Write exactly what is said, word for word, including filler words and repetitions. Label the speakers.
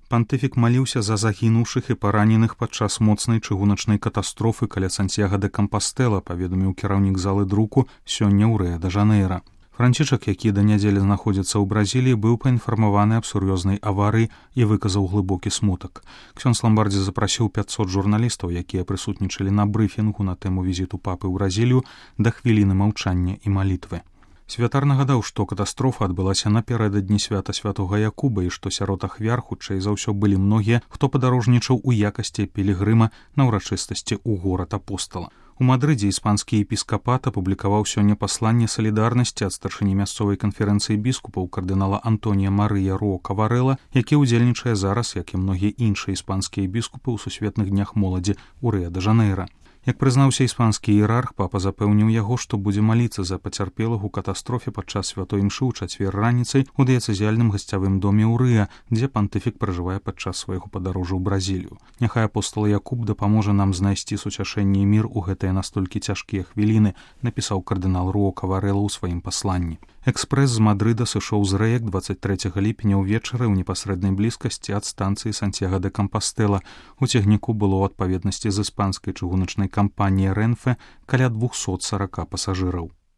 Speaker 1: Пантыфік маліўся за загінуўшых і параненых падчас моцнай чыгуначнай катастрофы каля Сантьяга де Кампастэла, паведаміў кіраўнік залы друку сёння ў Рыа-дэ-Жанэйра. Францішак, які да нядзелі знаходзіцца ў Бразіліі, быў паінфармаваны аб сур'ёзнай аварыі і выказаў глыбокі смутак. Ксёндз Ламбардзі запрасіў пяцьсот журналістаў, якія прысутнічалі на брыфінгу на тэму візіту папы ў Бразілію, да хвіліны маўчання і малітвы. Святар нагадаў, што катастрофа адбылася напярэдадні свята святога Якуба і што сярод ахвяр хутчэй за ўсё былі многія, хто падарожнічаў у якасці пілігрыма на ўрачыстасці ў горад апостала. У Мадрыдзе іспанскі епіскапат апублікаваў сёння пасланне салідарнасці ад старшыні мясцовай канферэнцыі біскупаў кардынала Антонія Марыя Рока Варэла, які ўдзельнічае зараз, як і многія іншыя іспанскія біскупы ў сусветных днях моладзі ў Рыа-дэ-Жанэйра. Як прызнаўся іспанскі іерарх, папа запэўніў яго, што будзе маліцца за пацярпелых у катастрофе падчас святой імшы ў чацвер раніцай у дыяцэзіяльным гасцявым доме ў Рыа, дзе пантыфік пражывае падчас свайго падарожжа ў Бразілію. Няхай апостол Якуб дапаможа нам знайсці суцяшэнне і мір у гэтыя настолькі цяжкія хвіліны, напісаў кардынал Рока Варэла ў сваім пасланні. Экспрэс з Мадрыда сышоў з рэек дваццаць трэцяга ліпеня ўвечары ў непасрэднай блізкасці ад станцыі Сантьяга де Кампастэла. У цягніку было ў адпаведнасці з іспанскай чыгуначнай кампаніяй Рэнфэ каля двухсот сорока пасажыраў.